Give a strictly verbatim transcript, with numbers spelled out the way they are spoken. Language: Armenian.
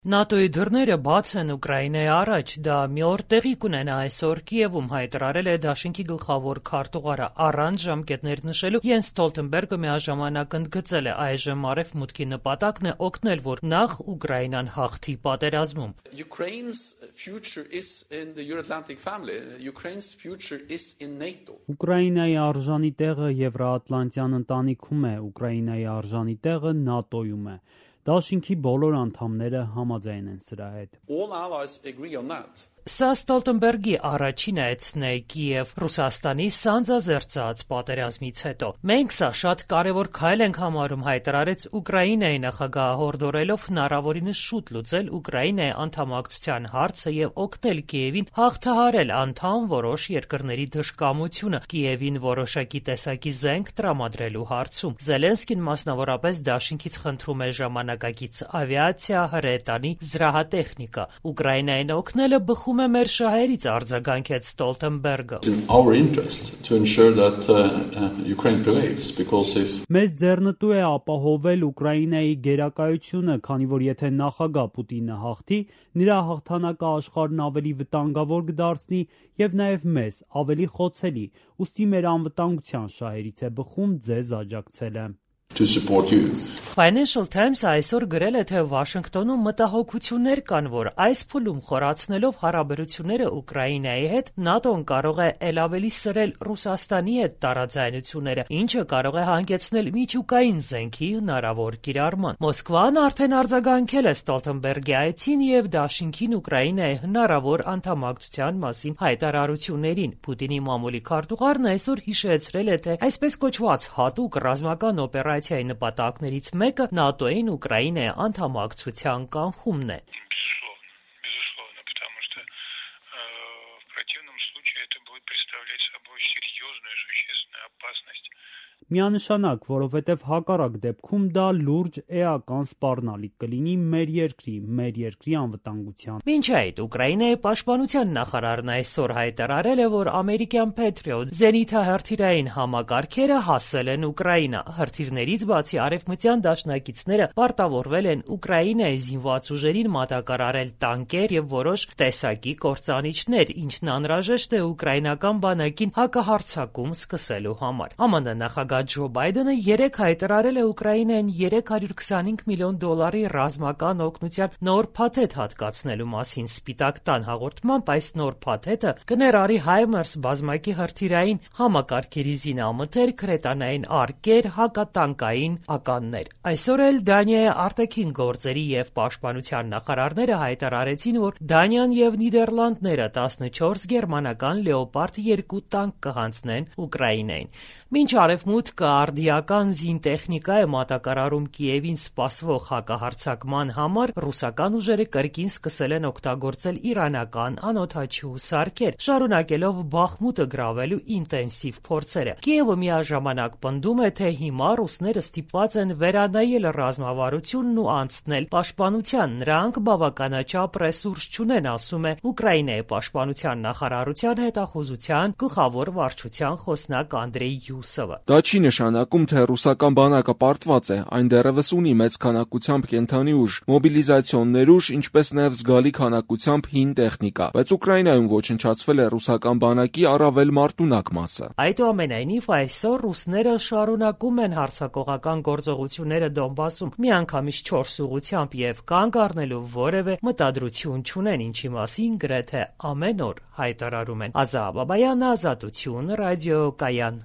ՆԱՏՕ-ի դռները բաց են Ուկրաինայի առաջ, դա մի օր տեղի կունենա այսօր Կիևում, հայտարարել է Դաշինքի գլխավոր քարտուղարը, առանց ժամկետներ նշելու Յենս Ստոլտենբերգը միաժամանակ ընդգծել է այժմ Արևմուտքի նպատակն է օգնել, որ նախ Ուկրաինան հաղթի պատերազմում։ Ուկրաինայի արժանի տեղը Եվրոատլանտյան ընտանիքում է, Ուկրաինայի արժանի տեղը ՆԱՏՕ-ում է։ Դաշինքի բոլոր անդամները համաձայն են սրա հետ։ Սա Ստոլտենբերգի առաջին այցն է Կիև Ռուսաստանի սանձազերծած պատերազմից հետո։ Մենք սա շատ կարևոր քայլ ենք համարում, հայտարարեց Ուկրաինայի նախագահը, հորդորելով հնարավորինս շուտ լուծել Ուկրաինայի անդամակցության հարցը եւ օգնել Կիևին հաղթահարել անդամ որոշ երկրների դժկամությունը Կիևին որոշակի տեսակի զենք տրամադրելու հարցում։ Զելենսկին մասնավորապես Դաշինքից խնդրում է ժամանակակից ավիացիա, հրետանի, զրահատեխնիկա։ Ուկրաինային օգնելը բխում է մեր շահերից, արձագանքեց Ստոլտենբերգը։ Մեզ ձեռնտու է ապահովել Ուկրաինայի գերակայությունը, քանի որ եթե նախագահ Պուտինը հաղթի, նրա հաղթանակը աշխարհն ավելի վտանգավոր կդարձնի եւ նաեւ մեզ ավելի խոցելի, ուստի մեր անվտանգության շահերից է բխում ձեզ աջակցելը։ Financial Times-ը այսօր գրել է, թե Վաշինգտոնում մտահոգություններ կան, որ այս փուլում խորացնելով հարաբերությունները Ուկրաինայի հետ, ՆԱՏՕ-ն կարող է ել ավելի սրել Ռուսաստանի հետ տարաձայնությունները, ինչը կարող է հանգեցնել միջուկային զենքի հնարավոր կիրառման։ Մոսկվան արդեն արձագանքել է Ստոլտենբերգի այցին եւ Դաշինքին Ուկրաինայի հնարավոր անդամակցության մասին հայտարարություններին։ Պուտինի մամուլի քարտուղարն այսօր հիշեցրել է, թե այսպես կոչված հատուկ ռազմական օպերացիայի նպատակներից մեկը ՆԱՏՕ-ին Ուկրաինայի անդամակցության կանխումն է։ Միանշանակ, որովհետև հակառակ դեպքում դա լուրջ էական սպառնալիք կլինի մեր երկրի, մեր երկրի անվտանգության։ Մինչ այդ Ուկրաինայի պաշտպանության նախարարն այսօր հայտարարել է, որ ամերիկյան Patriot զենիթահրթիռային համակարգերը հասել են Ուկրաինա։ Հրթիռներից բացի արևմտյան դաշնակիցները պարտավորվել են Ուկրաինայի զինված ուժերին մատակարարել տանկեր եւ որոշ տեսակի կործանիչներ, ինչն անհրաժեշտ է ուկրաինական բանակին հակահարձակում սկսելու համար։ ԱՄՆ նախագահ Ջո Բայդենը երեկ հայտարարել է Ուկրաինային երեք հարյուր քսանհինգ միլիոն դոլարի ռազմական օգնության նոր փաթեթ հատկացնելու մասին։ Սպիտակ տան հաղորդմամբ այս նոր փաթեթը կներառի Հայմարս բազմակի հրթիռային համակարգերի զինամթերք, հրետանային արկեր, հակատանկային ականներ։ Այսօր էլ Դանիայի արտաքին գործերի եւ պաշտպանության նախարարները հայտարարեցին, որ Դանիան եւ Նիդերլանդները տասնչորս գերմանական Լեոպարդ երկու տանկ կհանձնեն Ուկրաինային։ Մինչ Արևմուտքը արդիական զինտեխնիկա է մատակարարում Կիևին սպասվող հակահարձակման համար, ռուսական ուժերը կրկին սկսել են օգտագործել իրանական անօդաչու սարքեր, շարունակելով Բախմուտը գրավելու ինտենսիվ փորձերը։ Կիևը միաժամանակ պնդում է, թե հիմա ռուսները ստիպված են վերանայել ռազմավարությունն ու անցնել պաշտպանության։ Նրանք բավականաչափ ռեսուրս չունեն, ասում է Ուկրաինայի պաշտպանության նախարարության հետախուզության գլխավոր վարչության խոսնակ Անդրեյ Յուսովը։ Դա չի նշանակում, թե ռուսական բանակը պարտված է, այն դեռևս ունի մեծ քանակությամբ կենդանի ուժ, մոբիլիզացիոն ներուժ, ինչպես նաև զգալի քանակությամբ հին տեխնիկա, բայց Ուկրաինայում ոչնչացվել է ռուսական բանակի առավել մարտունակ մասը։ Այդուամենայնիվ այսօր ռուսները շարունակում են հարձակողական գործողությունները Դոնբասում միանգամից չորս ուղղությամբ եւ կանգ առնելու որևէ մտադրություն չունեն, ինչի մասին գրեթե ամեն օր հայտարարում են։ Ազատ Բաբայան, Ազատություն, ռադիոկայան։